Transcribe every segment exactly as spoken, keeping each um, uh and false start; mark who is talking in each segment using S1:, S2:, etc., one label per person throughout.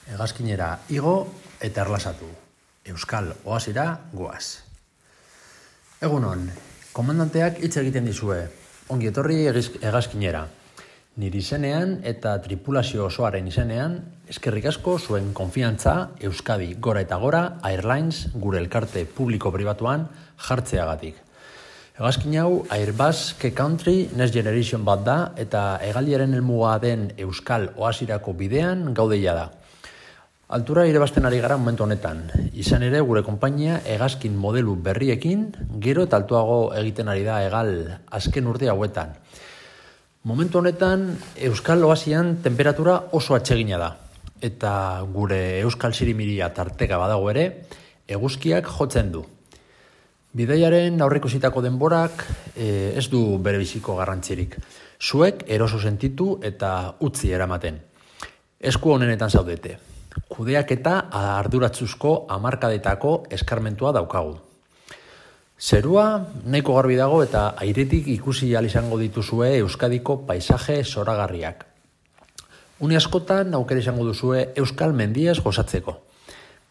S1: hegazkinera igo eta erlasatu. Euskal oasira goaz. Egunon, komandanteak hitz egiten dizue. Ongi etorri hegazkinera. Nire izenean eta tripulazio osoaren izenean, eskerrik asko zuen konfiantza Euskadi gora eta gora Airlines gure elkarte publiko-pribatuan jartzeagatik. Hegazkin hau Airbus K Country Next Generation bat da eta hegaldiaren helmuga den Euskal oasirako bidean gaudeia da. Altura irebazten ari gara momentu honetan. Izan ere gure konpainia hegazkin modelu berriekin gero eta altuago egiten ari da hegal azken urte hauetan. Momentu honetan Euskal oasian temperatura oso atsegina da. Eta gure Euskal Sirimiria tarteka badago ere, eguzkiak jotzen du. Bidaiaren aurreikusitako denborak e, ez du bere biziko garrantzirik. Zuek eroso sentitu eta utzi eramaten. Esku honenetan zaudete. Kudeak eta arduratzuzko hamarkadetako eskarmentua daukagu. Zerua nahiko garbi dago eta airetik ikusi ahal izango dituzue Euskadiko paisaje zoragarriak. Une askotan aukera izango duzue Euskal mendiez gozatzeko.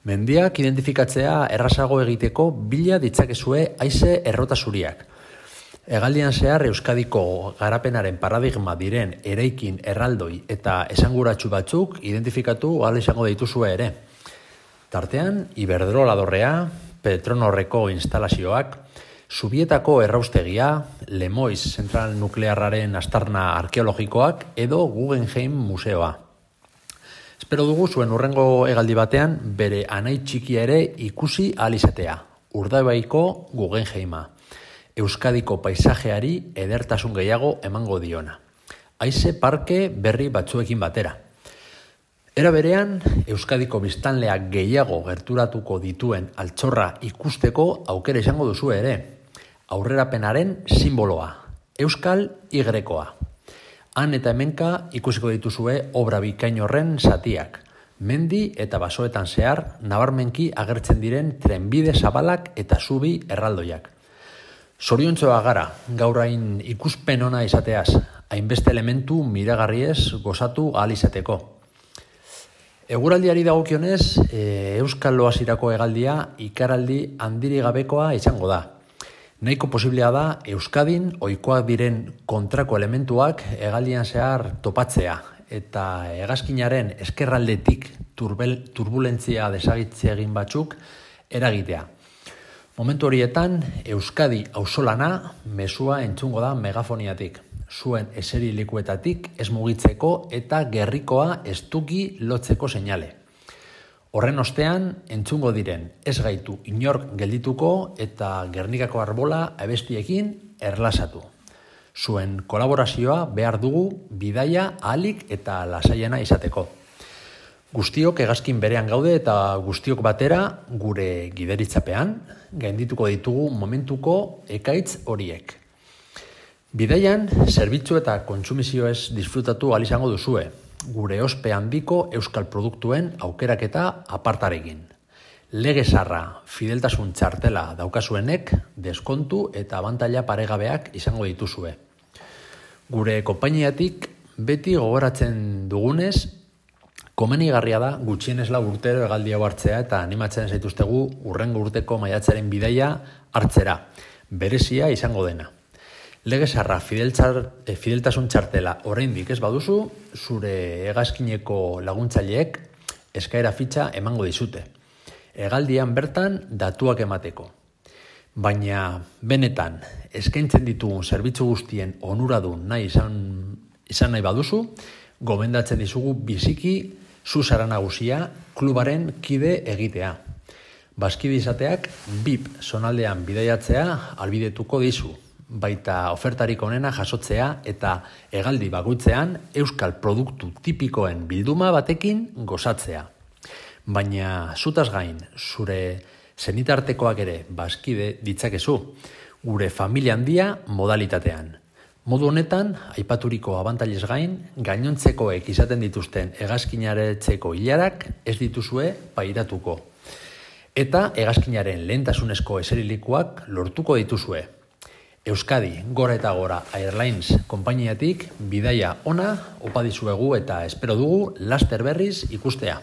S1: Mendiak identifikatzea errazago egiteko bila ditzakezue haize errota zuriak. Hegaldian zehar Euskadiko garapenaren paradigma diren eraikin erraldoi eta esanguratsu batzuk identifikatu ahal izango dituzue ere. Tartean, Iberdrola dorrea, Petronorreko instalazioak, Zubietako erraustegia, Lemoiz zentral nuklearraren aztarna arkeologikoak edo Guggenheim museoa. Espero dugu zuen hurrengo hegaldi batean bere anai txikia ere ikusi ahal izatea, Urdaibaiko Guggenheima. Euskadiko paisajeari edertasun gehiago emango diona. Haize parke berri batzuekin batera. Era berean, Euskadiko biztanleak gehiago gerturatuko dituen altxorra ikusteko aukera izango duzu ere. Aurrerapenaren simboloa, Euskal Y-koa. Han eta hemenka ikusiko dituzue obra bikain horren zatiak. Mendi eta basoetan zehar nabarmenki agertzen diren trenbide zabalak eta zubi erraldoiak. Zoriontzoa gara, gaur hain ikuspen ona izateaz, hainbeste elementu miragarriez gozatu ahal izateko. Eguraldiari dagokionez, e, Euskal oasirako hegaldia ikaraldi handiri gabekoa izango da. Nahiko posiblea da Euskadin ohikoak diren kontrako elementuak hegaldian zehar topatzea eta hegazkinaren eskerraldetik turbel, turbulentzia desagitze egin batzuk eragitea. Momentu horietan, Euskadi auzolana mezua entzungo da megafoniatik. Zuen eserilekuetatik ez mugitzeko eta gerrikoa estuki lotzeko seinale. Horren ostean, entzungo diren ez gaitu inork geldituko eta Gernikako arbola abestiekin erlasatu. Zuen kolaborazioa behar dugu bidaia ahalik eta lasaiena izateko. Guztiok hegazkin berean gaude eta guztiok batera gure gideritzapean gaindituko ditugu momentuko ekaitz horiek. Bidaian, zerbitzu eta kontsumizioez disfrutatu ahal izango duzue, gure ospe handiko euskal produktuen aukeraketa apartarekin. Lege zarra, fideltasun txartela daukazuenek, deskontu eta abantaila paregabeak izango dituzue. Gure konpainiatik beti gogoratzen dugunez, komenigarria da gutxienez lau urtero hegaldi hau hartzea eta animatzen zaituztegu hurrengo urteko maiatzaren bidaia hartzera, berezia izango dena. Legezarra fideltasun txartela oraindik ez baduzu, zure hegazkineko laguntzaileek eskaera fitxa emango dizute. Hegaldian bertan datuak emateko. Baina benetan eskaintzen ditugun zerbitzu guztien onuradun nahi izan, izan nahi baduzu, gomendatzen dizugu biziki zuzara nagusia klubaren kide egitea. Bazkide izateak B I P zonaldean bidaiatzea albidetuko dizu, baita ofertarik onena jasotzea eta hegaldi bakoitzean euskal produktu tipikoen bilduma batekin gozatzea. Baina zutaz gain, zure zenitartekoak ere bazkide ditzakezu, gure familia handia modalitatean. Modu honetan, aipaturiko abantailez gain, gainontzekoek izaten dituzten hegazkinaretzeko hilarak ez dituzue pairatuko. Eta hegazkinaren lehentasunezko eserilikuak lortuko dituzue. Euskadi, gora eta gora Airlines konpainiatik bidaia ona opa dizuegu eta espero dugu laster berriz ikustea.